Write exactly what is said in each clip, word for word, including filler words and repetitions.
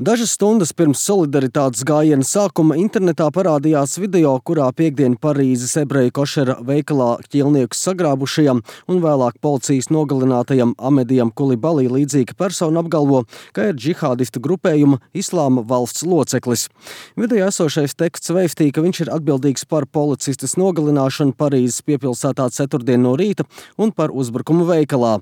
Dažas stundas pirms solidaritātes gājiena sākuma internetā parādījās video, kurā piekdien Parīzes ebreju košera veikalā ķīlniekus sagrābušajam un vēlāk policijas nogalinātajam Amedijam Kulibalī līdzīga persona apgalvo, ka ir džihādistu grupējuma Islāma valsts loceklis. Video esošais teksts veistī, ka viņš ir atbildīgs par policistes nogalināšanu Parīzes piepilsētā ceturtdien no rīta un par uzbrukumu veikalā.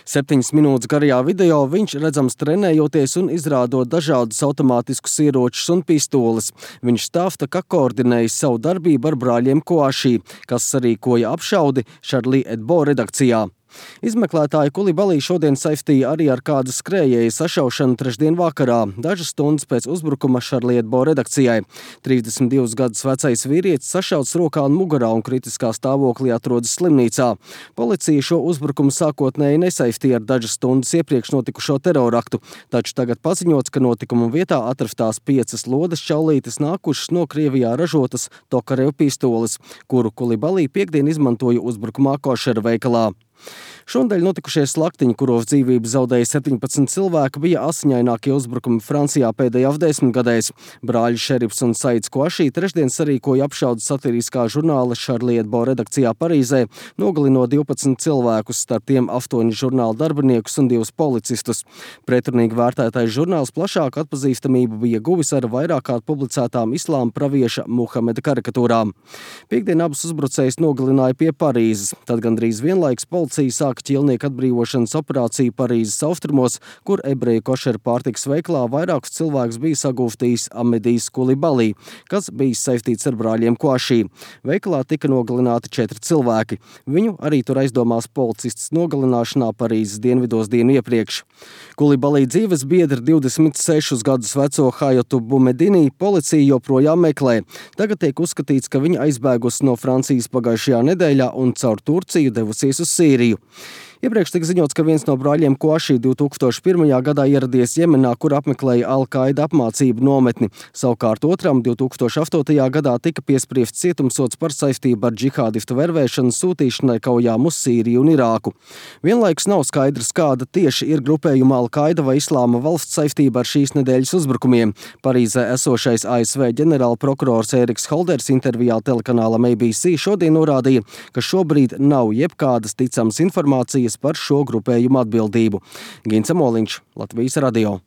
Septiņas minūtes garajā video viņš redzams trenējoties un izrādot dažādus automātiskus ieročus un pistoles. Viņš stāsta, ka koordinējis savu darbību ar brāļiem Koašī, kas sarīkoja apšaudi Charlie Hebdo redakcijā. Izmeklētāji Kulibalī šodien saistīja arī ar kādu skrējēju sašaušanu trešdien vakarā, dažas stundas pēc uzbrukuma Charlie Hebdo redakcijai. trīsdesmit divus gadus vecais vīrietis sašauts rokā un mugurā un kritiskā stāvoklī atrodas slimnīcā. Policija šo uzbrukumu sākotnēji nesaistīja ar dažas stundas iepriekš notikušo teroraktu, taču tagad paziņots, ka notikuma vietā atrastās piecas lodes čaulītes nākušas no Krievijā ražotas Tokarev pistoles, kuru Kulibalī piekdien izmantoja uzbrukumā košera veikalā. Šonadēļ notikušie slaktiņi, kuros dzīvību zaudēja septiņpadsmit cilvēki, bija asiņainākie uzbrukumi Francijā pēdējās desmitgadēs. Brāļi Šerifs un Saids Koašī trešdien sarīkoja apšaudu satiriskā žurnāla Charlie Hebdo redakcijā Parīzē, nogalinot divpadsmit cilvēkus, starp tiem astoņus žurnāla darbiniekus un divus policistus. Pretrunīgi vērtētais žurnāls plašāku atpazīstamību bija guvis ar vairāk kārt publicētām islāma pravieša Muhameda karikatūrām. Piektdien abus uzbrucējus nogalināja pie Parīzes, tad gandrīz vienlaiks policija sāka ķīlnieku atbrīvošanas operāciju Parīzes austrumos, kur ebreju košera pārtikas veikalā vairākus cilvēkus bija sagūstījis Amedijs Kulibalī, kas bija saistīts ar brāļiem Koašī. Veikalā tika nogalināti četri cilvēki. Viņu arī tur aizdomās policists nogalināšanā Parīzes dienvidos dienu iepriekš. Kulibalī dzīves biedri divdesmit sešus gadus veco Hajotu Bumedini policija joprojām meklē. Tagad tiek uzskatīts, ka viņa aizbēgusi no Francijas pagājušajā nedēļā un caur Turciju devusies uz Sīriju. Iepriekš tika ziņots, ka viens no brāļiem Koašī divi tūkstoši pirmajā gadā ieradies Jemenā, kur apmeklēja Al-Qaida apmācību nometni. Savukārt otram divi tūkstoši astotajā gadā tika piespriests cietumsods par saistību ar džihādistu vervēšanu sūtīšanai kaujām uz Sīriju un Irāku. Vienlaikus nav skaidrs, kāda tieši ir grupējuma Al-Qaida vai Islāma valsts saistība ar šīs nedēļas uzbrukumiem. Parīzē esošais A S V ģenerāla prokurors Eriks Holders intervijā telekanālam A B C šodien norādīja, ka šobrīd nav jebkādas ticamas informācijas par šo grupējumu atbildību. Gins Amoliņš, Latvijas radio.